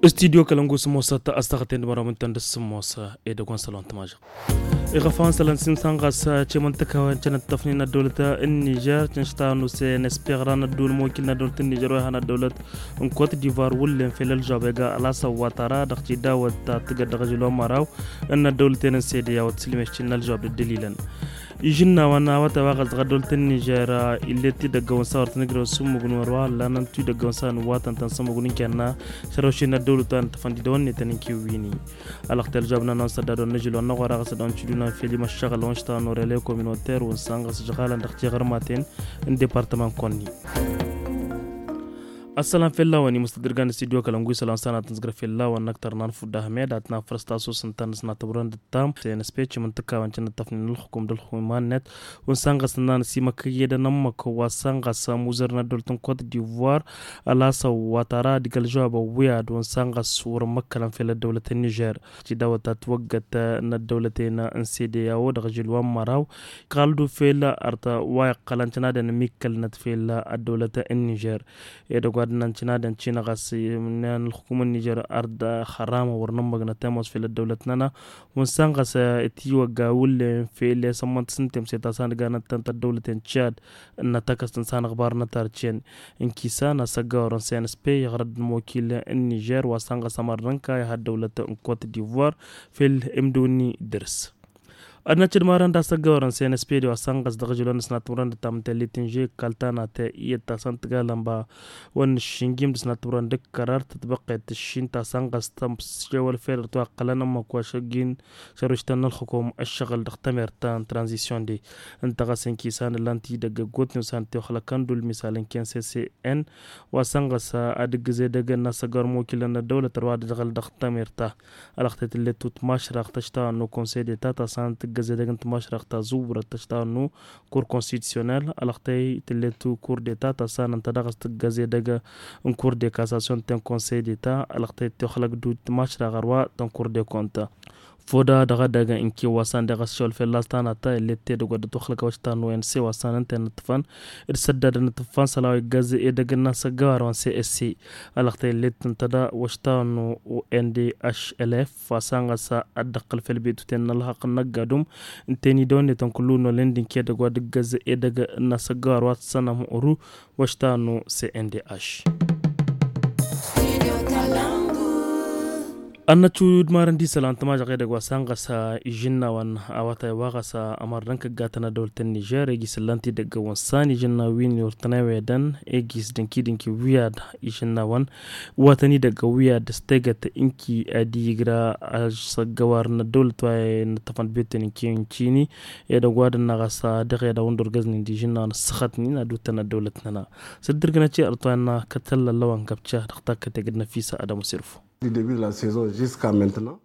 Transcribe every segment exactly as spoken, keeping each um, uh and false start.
Studyo kălăngu s-ămoosăt a-s taɣăten d-măraw mǝntăn d-s-ămoos edăgg wa n-sălon tămažăɣ. Iɣăfawăn sălăn s-insan ɣas cimǝntăkawăn cănăttăfnen ăddăwlăt n-nižer cănšta n-usăyăn s-piɣran ădduul mokil n-ăddăwlăt n-nižer wa ihăn ăddăwlăt n-kot divoir wullen fel ălžoab ega ălasăwwatara dăɣ-tidawăt ta tǝgăt dăɣ-ažǝl wa n-măraw n-ăddăwlăten n-sede i-a-wa t-sǝlmeštin n-ălžoab d-ăddălilăn. Ižǝnnawăn a-wa tăwaɣăs dăɣ-ăddăwlăt n-nižer ill'-e t-idăggăwăn s-a wăr tăn-ǝgrăwăn s-ǝmmǝgǝn wăr wa ăllanăn tu idăggăwăn s-a nǝwwatăn tăn-sǝmmǝgǝn n-kenna šărăwšen n-ăddăwlăt wa n-tăfăn d-idăwănnetăn n-kiwwini. Ălăɣtel žabnăn wa n-săddadon n-ažǝl wa n-năɣ wa dăɣ-s ad-awăn ciduna n-feli măššăɣăl wa n-šta n-orele kominotăr wa n-sănɣăs žɣalăn dăɣ-tiɣărmaten n-departăman konni. Ăssălam fell-awăn imǝstădrǝgan n-studyo kălăngu isălan s-anatăn zǝgrăf fell-awăn n-ăktăr n-anfud ahmed ad-tăn-afrăs tasus ǝntăn s-natăwrăn d-tam s-e n-speci imǝntǝkawăn cănăttăfnen ǝlxǝkum d-ǝlxǝkum iman-net. Wa n-sănɣăs ǝnnan s-imăkkăyyedăn ămmăk wa s-sănɣăs amuzăr n-ăddăwlăt n-kot divoir ălasăw wa tara ad-ǝgg ălžăwab ăwwiyad wa n-sănɣăs wăr-ămmăkkălăn fel ăddăwlăt n-nižer. Tidawăt ta twăggăt n-ăddăwlăten n-sede i-a-wo dăɣ-ažil wa n-măraw iqqal-dd ufel ărta wa iqqălăn cănadăn ămmikkălnăt fel ăddăwlăt n-nižer. Edăgg wa d-ǝnnan cănadăn cinăɣăs ǝnnan ǝlxǝkum n-nižer ard xăramăn wăr nǝmmăgnăt ămoos fel ăddăwlăt-nănăɣ. Wa n-sănɣăs itiwăgga wullen fele s-ămmănt s-ǝntem s-e ta s-anǝganăt-tăn tăddăwlăten cad n-atăkăst n-sanăɣbar n-atarcen. N-kisan asăggawărăn s-e n-spey iɣrăd n-mokil n-nižer wa sănɣăs ămărrăn kayăh ăddăwlăt n-kot divoir fel imdǝwǝnni dăr-s. Ad-năcc d-marăn d-asăggawărăn s-e n-spey d-wa sănɣăs dăɣ-žilăn s-natmurăn d-tamtăllit n-žek kaltanate iyyăt ta săn tǝgalăn ba wa n-nǝššǝnjim d-s natmurăn d-kărar tătbăqqet tǝššin ta săn ɣas tămsewăl fel ărtwa ăqqălăn ămmăk wa šăggin šăruštăn n-ălxukum ăššăɣǝl dăɣ-tămert ta n-tranzisyon de. Ǝnta ɣas ǝnki s-anǝllan tidăgg ăggootnen s-anǝtewăxlăkăn d-ulmisal ǝnken s-e s-e n wa săn ɣas ad-ǝggǝz edăgg n-asăggawăr mokilăn n-ăddăwlăt ărwa d-ăžɣăl dăɣ-tămert ta. Ălăxtăy tǝllet-ut mašraɣt ăštawăn n-okonsey deta ta s-anǝtǝggăz edăgg n-timašraɣt ta zuwrăt ăštawăn n-okur konstitusyonel ălăxtăy tǝllet-u kur deta ta s-anăn ta dăɣ-s tǝggăz edăgg n-kur de kasasyon ten konsey deta ălăxtăy tewăxlăk d-timašraɣ ărwa tăn-kur de konta. Foda dăɣ-edăgg n-ken wa s-andeɣ ăššăwăl fălla-s tanăt ta illet tedăgg wa dd-ătwăxlăk wa š-tannu n-se wa s-anăn ten n-ǝṭṭǝfăn d-săddadăn ǝṭṭǝfăn sălaw iggăz edăgg n-asăggăwar wa n-se s-se. Ălăxtăy illet ǝnta da wa š-tannu n-d-ašălef wa s-anɣăs ad-dd-ăqqǝl făll-betuten n-ălxaqq n-ăgg-adum ǝnta i-dăwănnetăn kullu n-olăyăn d-ǝnkedăgg wa d-ǝggăz edăgg n-asăggăwar wa t-sănăm uru wa š-tannu s-e n-d-aš. Ad-năccu d-marăn d-isălan tămažăɣ edăgg wa s-anɣăs ižǝnnawăn a-wa taywa ɣas ămărrăn kăggatăn ad-dăwlăt n-nižer egis ǝllan-t idăgg wa n-san ižǝnnaw wi n-iwrǝtăn ewedăn egis dănki-dănki wi ad-ižǝnnawăn wa tăn-idăgg wi ad-s tegăt ǝnki ad-igra asăggăwar n-ăddăwlăt wa n-ǝṭṭăfăn d-betăn ǝnki n-cini edăgg wa dăɣ-năɣ ɣas dăɣ-ed a-wa n-dd-orgăznen d-ižǝnnawăn ăssăxătnen ad-utăn ăddăwlăt-nănăɣ. S-dd-ǝrgǝnăt i-ărṭwa innă kăt-tăllăllăwăn găbca dăɣ-takkăt egd năfisa ad-ămusirfu.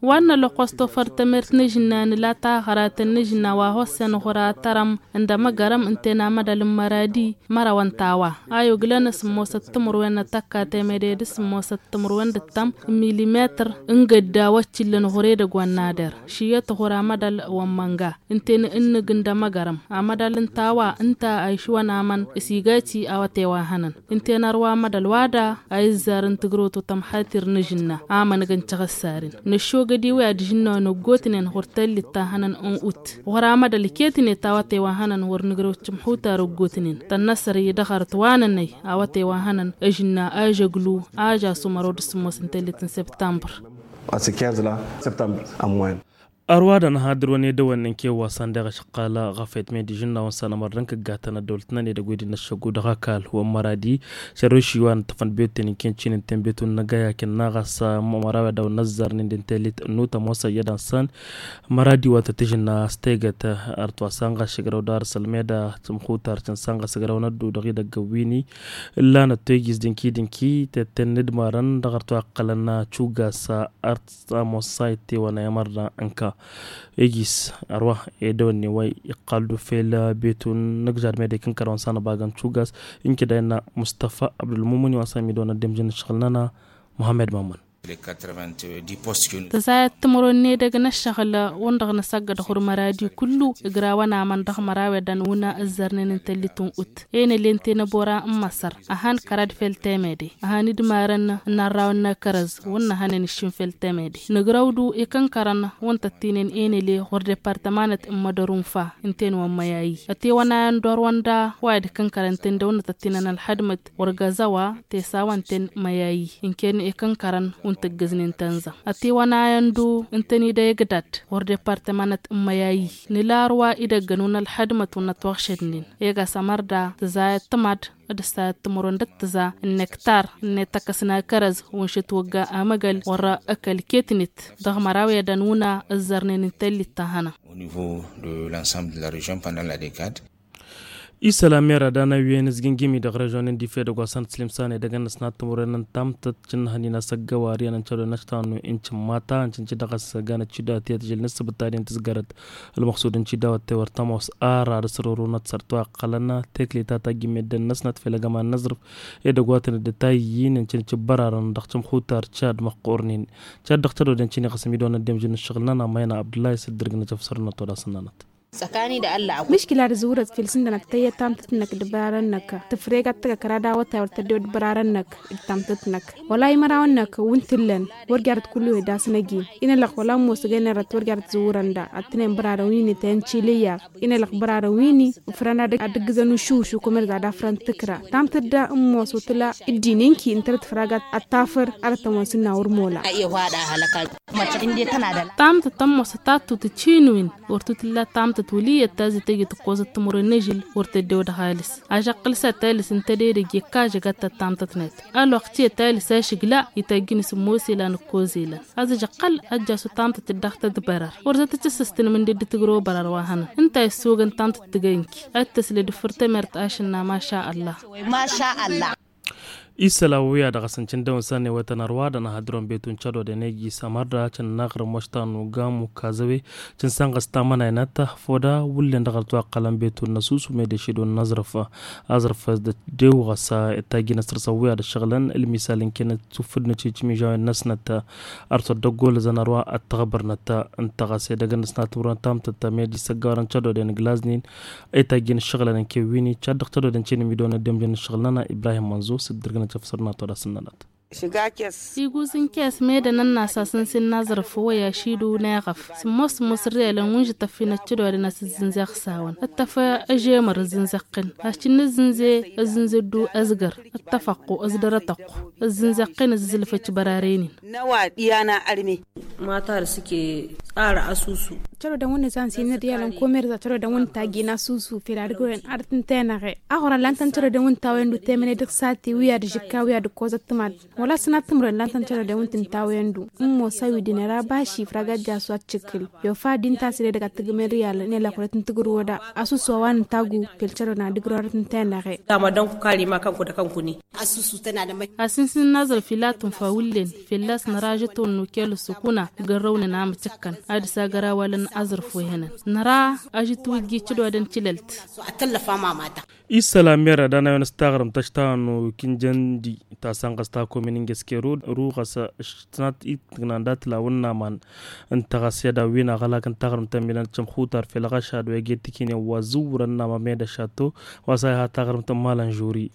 Wa n-nălăqqos tofăr tămert n-ežǝnna nǝla taɣăratăn n-ežǝnna wa hossen ɣur-atărăm n-dămăgărăm ǝnta i-namădal n-măradi mărawăn tawa a yuglăn s-ămoosăt timǝrwen n-tăkka temede d-s-ămoosăt timǝrwen d-ǝttăm n-milimetăr n-gădda wa t-illăn ɣur-edăgg wa n-nader. Šǝyyăt ɣur-amădal wa n-mănga ǝnta i-nǝnnǝg n-dămăgărăm amădal n-tawa ǝnta a išwăn amăn s-igaci a-wa t-e-wa hănăn. Ǝnta i-nărwa amădal wa da a izzar n-tǝgrăwt wa tămxatir n-ežǝnna amăn găn căɣăssaren năššogăd i-wi ad-ižǝnnawăn ăggootnen ɣur-tellit ta hănăn n-ut ɣur-amădal iket-net a-wa t-e-wa hănăn wăr nǝgrăw cǝmxutar ăggootnen tănnăsăr i-dăɣ ărăt wa nănăy a-wa t-e-wa hănăn ežǝnna ažăglu ažasum ărwăd s-sǝmmos n-tellit n-septambăr. Ărwadăn ha dd-ărwăn edăwănnen kewa s-ăndeɣ ašăqqal ɣafet medi žǝnnawăn s-anămărrăn kăggatăn ăddăwlăt-năn edăgg wi d-năššăggu dăɣ-ăkall wa n-măradi šăroši wa n-ǝṭṭăfăn biyotnen ken cinǝnten biyotnen n-agayakăn n-aɣas măraw i-ad-dăwăn n-ăzzarnen d-intellit n-nutăm wa s-ăyyădăn s-an măradi wa tăt-ižǝnna s-tegăt ărtwa s-anɣas šăgrăw dar s-ălmeda tǝmxutar cǝn s-anɣas ăgrăw n-ăddu dăɣ-idăgg ăwwini ǝllanăt toygiz dǝnki-dǝnki tetten n-ǝdmarăn dăɣ-ărtwa iqqălăn cugas ărt s-ămoos s-a ittewăn a imărra ǝnka. Egis ărwa edăwănne wa iqqal-dd ufel betun n-ǝgžad medek n-kărăwăn s-anăbagăn cugas. Inkǝda innă mustăfa abdulmumǝni wa s-amidăwăn ăddemjăn n-ǝššăɣǝl-nănăɣ muhammed mămmăn. Tăzayăt timǝrwen n-edăgg n-ăššăɣǝl wăn-dăɣ nǝsăggăd ɣur-măradi kullu ǝgrawăn aman dăɣ-măraw i-ad-ănwǝna ǝzzărnen n-tăllit n-ut enăle n-tenăbora n-măsăr. Ăhan kărad fel temede ăhan idmarăn n-arrawăn n-akărăz wăn năhănen iššǝn fel temede nǝgrăwdu ikǝnkărăn wăn tăttinen enăle ɣur-departămanăt n-mădăr unfa n-ten wa n-măyayi ătewăn ayăn d-orwăn da wa i-ad-kǝnkărăn ten dăw-năt ăttinăn ălxădmăt wăr găzăwa tesawăn ten măyayi n-ken ikǝnkărăn wăn tăggǝznen tănza ătewăn ayăn d-u n-tăn-ida egdad wăr departămanăt n-măyayi nǝla arwa idăggăn wăn ălxădmăt wăn ătwăɣšădnen. Ega s-ămărda tǝzayăt tǝmad d-ǝssayăt timǝrwen d-ǝttǝza n-nektar n-etăkăs n-akărăz wăn šătwăgga amăgăl wăr-ăkăl ketnet dăɣ-măraw i-ad-ănwǝna ǝzzărnen n-tellit ta hănă. Au niveau de l'ensemble de la région pendant la décade. Isălam mera d-anăwwen ǝzgǝngǝmi dăɣ-režon n-dife dăgg-wa s-anăt slimsan edăgg-năsnat timǝrwen n-tamtăt cǝnnăhăn-in asăggăwar i-anăncădo n-aštannu incǝmmata ǝncǝnci dăɣ-s ganăt cidawăt i-tǝžǝl n-ǝssǝbǝt ta den tǝzgărăt. Ălmăxsud n-cidawăt tewăr tămoos ara d-asărorunăt săr-twa ăqqălăn teklita ta ăgg-immedden-năsnăt fel ăgg-ăman n-aẓrǝf edăgg wa tăn-dd-tayyin ǝncǝnci ăbbărarăn dăɣ-cǝmxutar cad măqqornen. Cad dăɣ-tădodăn cini ɣas ămidonăt d-emžǝn n-ǝššăɣǝl-nănăɣ mayna abdullah isǝddǝrgǝnăt afsărnăt wăr-asǝnnănăt. Mǝškila d-zǝwrăt fel s-ǝndănăt tăyy tamtăt-năk d-ăbrarăn-năk tǝfreg ad-tăgg ăkra d-awătay wăr tăddew d-ăbrarăn-năk d-tamtăt-năk. Wăla imărawăn-năk wǝn t-ǝllăn wăr jarăt kullu ed asnăjin. Inălăɣ wăla ămoos ăgg-enărăt wăr jarăt zǝwrăn da ăttănen bărarăn wi n-ităyăn ciliyyar. Inălăɣ bărarăn wi n-ifrăn ad-ǝggǝzăn ušuš ukumăr za d-afrăn tǝkra tamtăt da ămoos wăr tǝla ǝddin inki ǝntănăt făragat ăttafăr. Ad-ăttămon s-ǝnna wăr mola. Tamtăt ămoos ătattut ăcinwin wăr tutǝlla tamtăt wăl' iyyăt ta zităjjăt ǝkkoẓăt timǝrwen n-ežǝl wăr tăddew dăɣ-alǝs. Ažăqqǝl s-ad-talǝs ǝnta d-edăgg ikka ažăgat ta d-tamtăt-net. Ălwăqq tiyyăt talǝs ašǝgla ităjjǝn s-ămoos ilan ǝkkoẓ ilan. Ad-ažăqqăl ad-jasu tamtăt-dd dăɣ-tădbărăr wăr zăt-ăcǝssǝstǝn mǝnded d-tǝgrǝw bărăr wa hănăn ǝnta a issoogăn tamtăt tǝgăy ǝnki ad-tăsled ǝffǝr temert ašǝnna maša. Ăllah. Isălan wi-ad-dăɣ-s n-cǝndăw n-săn ewătăn ărwa dăɣ-năhădron betu n-cădoden ejis ămărda cǝnnăɣrǝm wăštan n-ugamu kazăwe cǝnsanɣăs tamănaynăt. Foda wullen dăɣ-ărtwa ăqqălăn betu n-năsusu medešidu n-aẓrǝf aẓrǝf s-dăt dew ɣas. Tajjin ăsrăsăn wi ad-ăššăɣǝlăn ǝlmisal n-kenăt suffǝd n-ăciciminžawen-năsnăt. Ărsăt dăgg-olăzăn ărwa ăttăɣbărnăt ǝnta ɣas edăgg-năsnat wurăn tamtăt medi s-ăggawărăn cădoden ǝglaznin. Itajjin ǝššăɣǝlăn n-kewwini cad dăɣ-tădodăn cănimidăwăn ăddemjăn n-ǝššăɣǝl-nănăɣ ibrahim mănzo s-ǝddǝrgǝnăt afsărnăt wăr-asǝnnănăt. Iguz n-kes. Iguz n-kes mede n-ănnas a-s n-sin n-aẓrǝf wăy ašidǝw n-eɣăf sǝmmos sǝmmos ǝrriyălăn wi n-žătăf-in ăccădodăn a-s ǝzzǝnze ăxsawăn ǝttăf. Ăžemăr ǝzzǝnze ăqqin a-s cǝnnǝzzǝnze ǝzzǝnze ăddu ăzgăr ǝttăf ăqqu ǝzdăr ătăqqu. Ǝzzǝnze ăqqin ǝzzǝzlǝf ăcibărarăynen. N-a-wa d-iyyăn a ărme. Mata dăɣ-s ike ara asusu. Cărodăn wǝnnǝzan s-inǝrriyălăn komerza cărodăn wǝnnǝtajjin asusu fel ad-ǝgrăwen ad-tǝntăyăn aɣe. Aɣurăn lan-tăn cărodăn wǝnnǝtawăyăn d-utemăne dăɣ-sate wi ad-žǝkka wi ad-ǝkkozăt tǝmad. Wăla s-tăn ad-tǝmrăn lan-tăn cărodăn wǝnnǝtǝntawăyăn d-u ǝmmos a-wi d-inăra baši ifrag ad-jasu ad-tǝšǝkkǝl. Yofa ad-dd-inta a-s ed edăgg ad-tǝggǝm irriyal n-elăkul ad-tǝntǝgrǝw oda. Asusu a-wa nǝntagu fel cărodăn ad-ǝgrăwen ad-tǝntăyăn aɣe. Dama dănku kalima kănku d-akănkuni. A-s n-sin n-aẓrǝf ila tunfa wǝllen fălla-s năra ažătwăn n-ukel ǝssukuna. Gărrăwnăn amǝcǝkkăn ad-dăɣ-s agăr awalăn aẓrǝf wa ihănăn năra ažǝtwǝjji cǝdodăn cǝlălt. Isălan mera d-anayăn s-taɣrǝmt ăštawăn n-ukǝnjăndi ta sănɣăs ta komin n-găskeru ruɣăs. Ǝštǝnat itǝgnan d-atǝlawăn n-aman ǝnta ɣas i-ad-awin aɣălak n-taɣrǝmt ămminăn d-cămxutar fel ɣăšad wa ege tikǝnen wa zǝwrăn n-aman meda šatto. Wa s-a iha taɣrǝmt n-malăn žuri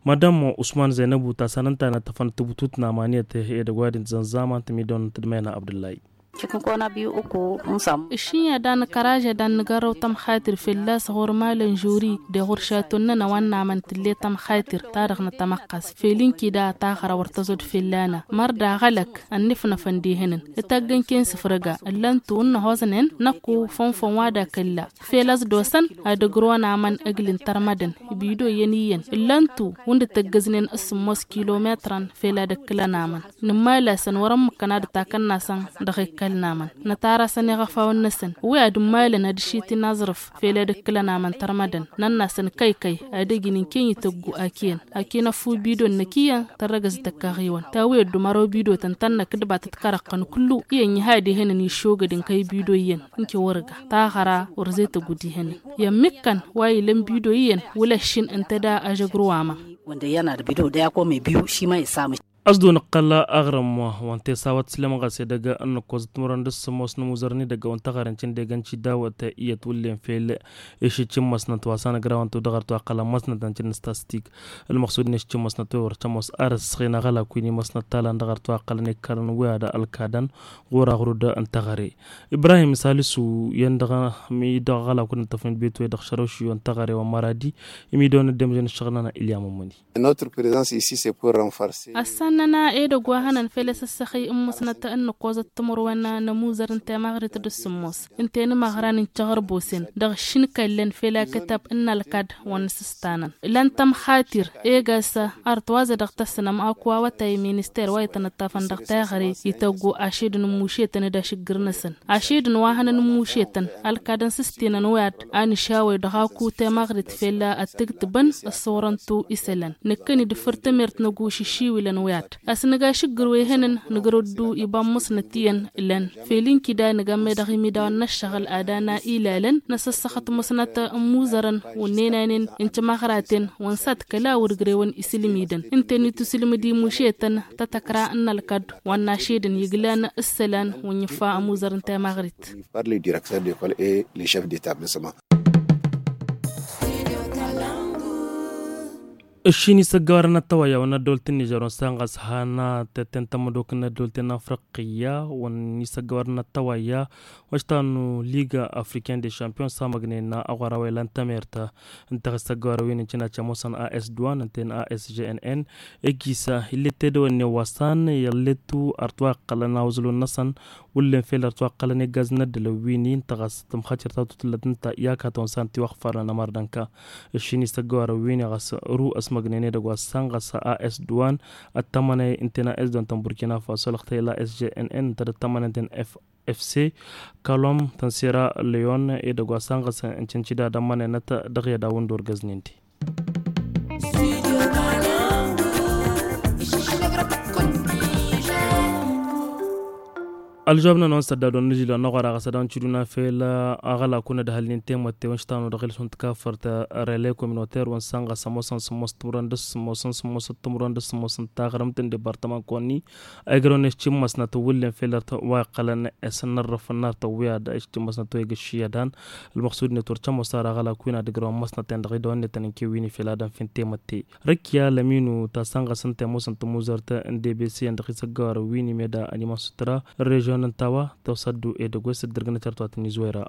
madam usman zăynăbu ta săn ǝnta a inăṭṭăfăn d-tǝbutut n-aman i-ad-tǝhe edăgg wa d-intǝzăn zaman tǝmidăwăn n-tǝdmăyna abdǝllay. Ǝššǝyya da nǝkăraže da n-nǝgărrăw tămxatir fălla-s ɣur-malăn žuri d-ɣur-šaton-nănăɣ wa n-namăn tǝlle tămxatir ta dăɣ-nătămăqqas fel ǝnki da taɣăra wăr tăẓod fălla-năɣ măr daɣălăk. Ănnifnăfăn d-ihănăn ǝtaggăn ken sǝfrăga ǝllăn-tu ǝnnăhoẓnen năkku fănfăn wa d-akǝlla fel ăẓdosăn ad-ǝgrǝwăn amăn ǝgl' n-tărmădăn. Bido iyyăn iyyăn ǝllăn-tu wǝnda tăggăznen s-sǝmmos kilometrăn fel ad-ǝkkǝlăn amăn. Nǝmmal-asăn wăr-ămmǝkkăn ad-ǝtakăn-nasăn dăɣ-ikkăl n-amăn nǝtarasăn iɣăfawăn-năsăn wi ad-ǝmmalăn ad-ǝšitǝn aẓrǝf fel ad-ǝkkǝlăn amăn tărmădăn. Năn-asăn kăy-kăy ad-ǝjǝn ǝnken ităggu ak' iyyăn ak' inăffu bido-năk iyyăn tărrăgăz tăkkaɣ-iwăn tawǝyăt d-umăraw bido-tăn tănnăk d-iba tǝtkărăɣ-tăn kullu. Iyyăn iha ad-ihănăn iššogăd ǝnkăy bido iyyăn ǝnke wăr-ǝga taɣăra wăr zet ăgg-dd-ihănăn. Iyyăn mǝkkăn wa ilăn bido iyyăn wăla ǝššin ǝnta da ažăgru wa ma. Wănda iyyăn ad-bido d-aya kome biyu šima isam. Ăsdun ǝqqăl aɣrǝm wa n-tesawăt s-lem ɣas edăgg n-nǝkkoẓăt timǝrwen d-ǝssǝmmos n-amuzăr n-edăgg wa n-taɣare n-cǝndegăn cidawăt iyyăt wǝllen fel. Išǝcc n-imăsnăt wa s-anăgrawăn-tu dăɣ-arăt wa ǝqqălăn imăsnăt n-cǝnnǝstastik. Ălmăqsud n-išǝcc n-imăsnăt wa wăr cămoos ar ǝssăɣen aɣălak wi n-imăsnăt talan dăɣ-arăt wa ǝqqălăn ekkarăn wi ad-ălkadăn ɣur-aɣrud n-taɣare. Ibrahim salisu i-en dăɣ-mi dăɣ-aɣălak wi n-ǝṭṭăfnen d-betwe dăɣ-šărăwšiyo n-taɣare wa n-măradi. Imidăwăn ăddemžăn ǝššăɣǝl-nănăɣ ilya mămmăni. Notre présence ici c'est pour renforcer. Ăssan-nănăɣ edăgg wa hănăn fel asăssăxăy n-musnăt n-nǝkkoẓăt timǝrwen n-amuzăr n-temaɣrit d-ǝssǝmmos ǝnta i-inmăɣran n-tiɣărbosen dăɣ-išǝnkăllăn fel akătab n-ălkad wa n-asǝstanăn. Lan tămxatir egas arăt wa zedăɣ tăssănăm akwa awătay minister wa itănăṭṭafăn dăɣ-taɣre ităggu ašedăn n-mušetăn d-ašǝggǝr-năsăn. Ašedăn wa hănăn n-mušetăn ălkadăn s-ǝstinăn wi ad-anǝšawăy dăɣ-aku temaɣrit fel ad-tǝgtǝbăn ăṣṣorăn-tu isălan năkkăni d-făr tămert năggu šǝššiwǝlăn wi ad-asnăga ašǝggǝr wi hănăn nǝgrăddu iba n-musnăt iyyăn. Lăn fel inkida nǝga medăɣ imidawăn n-ăššăɣǝl ad-ana ilalăn n-asăssăxăt musnăt n-imuzărăn wǝnnenanen n-timăɣraten wa n-sat kăla wăr ǝgrewăn isǝlmidăn ǝnta i-tusǝlmǝd imušetăn tătăkra n-ălkad wa n-ašedăn iglan ǝssălan wa n-ifa amuzăr n-temaɣrit. Par le directeur de l'école et le chef d'établissement. Ǝššin isăggăwarăn ăttăwăyya wa n-ăddolt n-nižer wa n-sănɣăs hanna tetten tămădok n-ăddolt n-afriqiyya wa n-isăggăwarăn ăttăwăyya wa n-ištanu liga africain de champion s-amăgnen aɣwăra wa ilan tămertă ǝnta ɣas tăggăwarăn wi n-incǝna cămoosăn as duan ǝnta n-as jnn. Egisa ill'-e t-edăwănne wa s-an ill'-e tu arăt wa iqqălăn awǝẓlun-năsăn wǝllen fel arăt wa iqqălăn eggaz n-ăddălăn wi n-intăɣas tǝmxăcăr ta tutǝllăt n-ta i-akatăn s-an tiwăɣfarăn ămărdănka. Ǝššin isăggăwarăn wi n-iɣas ru ăsmăgnen edăgg wa s-an ɣas as duan ăttămănăy ǝnta n-as duan tăn-burkina faso lăɣtăy la sjnn ǝnta d-ăttămănăy ǝnta n-f fc kalom tăn-sera leon edăgg wa s-an ɣas ǝncǝncǝda d-ămmănăynăt dăɣ-i ad-awǝn d-orgăznen-ti. Ălžobnăn wa n-săddad wa n-ižil wa n-aɣora ɣas ad-awǝn ciduna fel aɣălak wa n-ădhălnen temătte wa n-ištanu dăɣ-ilsun tikafărt rele communautaire wa n-sănɣăs ămoosăn sǝmmos timǝrwen d-sǝmmos n-sǝmmos timǝrwen d-sǝmmos n-taɣrǝmt n-debartăman kăwăn-ni. Ăygrăwăn ištimmasnăt wǝllen fel arăt wa iqqălăn s-nărrăf n-arăt wi ad-ištimmasnăt wa igǝšši ad-han. Ălmăqsud-net wăr cămoos ara aɣălak wi n-ad-ǝgrăwăn măsnăten dăɣ-idăwăn-net ănănke wi n-ifel ad-ănf'-en temătte. Rǝkya lăminu ta sănɣăs n-temosăn tămuzărt n-debeseyăn dăɣ-isăggăwarăn wi n-imeda ănimăn sutra n-režion n-tawa tawsa ăddu edăgg wa s-dd-ǝrgǝnăt ert wa tăn-izwăyra.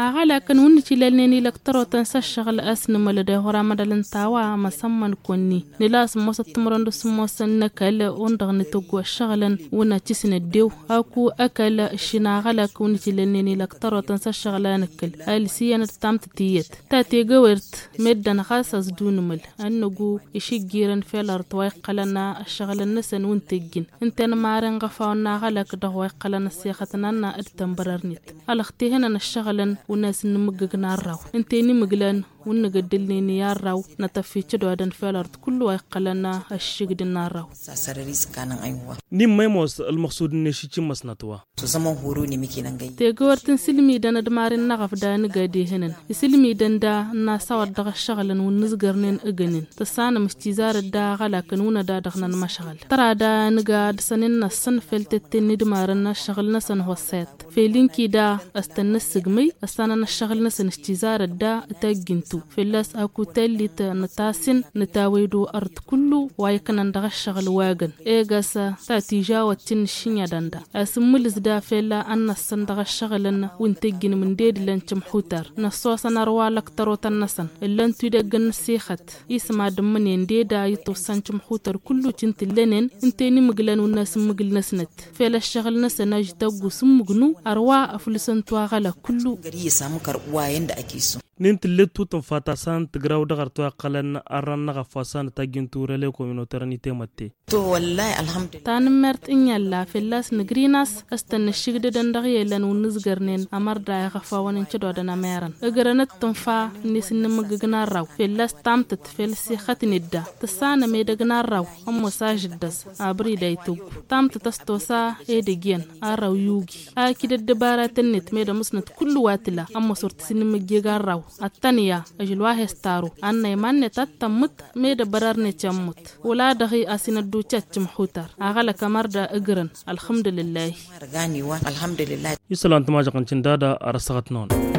Aɣălakăn wǝnnǝt ilalnen ilăktărotăn s-ăššăɣǝl a-s nǝmălăd i-ɣur-amădal n-tawa măsămmăn kăwăn-ni nǝla sǝmmosăt timǝrwen d-sǝmmosăn n-ăkall wa n-dăɣ-nǝtǝggu ăššăɣǝlăn wǝnna cǝsnăddew. Aku ăkall ǝššǝn aɣălak wǝnnǝt ilalnen ilăktărotăn s-ăššăɣǝl a nǝkkǝl alǝs iyyăn d-tamtǝt iyyăt ta tegăwert meddǝn ɣas ăẓdunǝmǝl ănnăgu išǝjjirăn fel arăt wa iqqălăn ăššăɣǝlăn-năsăn wǝnta ǝjjǝn ǝnta i-nǝmaren ɣăfawăn n-aɣălak dăɣ-wa iqqălăn ăssixăt n-anna d-tănbărărnet. Alăɣ tehănăn ăššăɣǝlăn wǝnna s-nǝmǝggǝg n-arraw ǝnta i-nimǝglan wǝnnǝgăddǝlnen i-arraw nătăffičădodăn fel arăt kullu wa iqqălăn ăššǝgd n-arraw. Nimmăymos ălmăɣsud n-ešici n-măsnăt wa. Tegăwărt n-sǝlmidăn d-maren n-aɣăf da nǝga dehănăn isǝlmidăn da n-asawăt dăɣ-ăššăɣǝlăn wǝnnǝzgărnen ǝgǝnen tăssanăm s-tizarăt da aɣălakăn wǝnnăt da dăɣ-năn măšɣăl tăra da nǝga ad-săn innăssăn fel tetten n-idmarăn ăššăɣǝl-năsăn hossăyăt fel inkida ăstăn n-ǝssǝgmăy ăssanăn ăššăɣǝl-năsăn s-tizarăt da tajjǝntu fălla-s aku tallit nǝtasǝn nǝtawăydu ărăt kullu wa iknăn dăɣ-ăššăɣǝl wa găn egas ta tižawăt ti n-ǝššǝnyădăn da a-s ǝmmǝlǝs da fel ad-năssăn dăɣ-ăššăɣǝlăn wi n-tǝjjǝn mǝndedǝlăn cǝmxutar năssosăn ărwa lăktărotăn-năsăn ǝllăn-tu idăgg n-ăssixăt isǝm ad-ǝmmǝnen deda itossan cǝmxutăr kullu cǝntǝllănen ǝnta i-nimǝglăn wǝnna s-ǝmmǝgǝl-năsnăt fel ăššăɣǝl-năsăn ažităggu s-ǝmmǝgnu ărwa ăflǝsăn-tu aɣălak kullu. N-intǝllet tutǝnfa ta s-an tǝgraw dăɣ-arăt wa iqqălăn arran n-aɣăf wa s-an tajjǝntu rele kominotărăn i-temătte. Tanǝmmert n-iyyălla fălla-s nǝgrin-as ăstăn nǝššǝgdădăn dăɣ-i elăn wǝnnǝzgărnen ămărda iɣăfawăn n-cădodăn ămerăn ǝgrănăt tǝnfa n-esǝnnǝmǝggǝg n-arraw fălla-s tamtăt fel s-ixătnet da tǝssanăm edăgg n-arraw ămoos ažǝddăẓ abrid a ităggu tamtăt a-s tosa edăgg iyyăn arraw i-ugi akǝy d-ăddăbaratăn-net meddǝn musnăt kullu wa tǝla ămoos wăr tǝsǝnnǝmǝjjeg arraw. Ăttănǝya ǝžǝl wa he-s taru ănnăy iman-net ad-tămmǝt. Med ăbărărnet i-ămmut wăla-dăɣ-i a-s inădducăt timxutăr aɣălăk ămăr da ǝgrǝn. Ălxǝmdǝlǝllahi. Isălan tămažăɣ n-tindada ar ăssaɣăt-năwăn.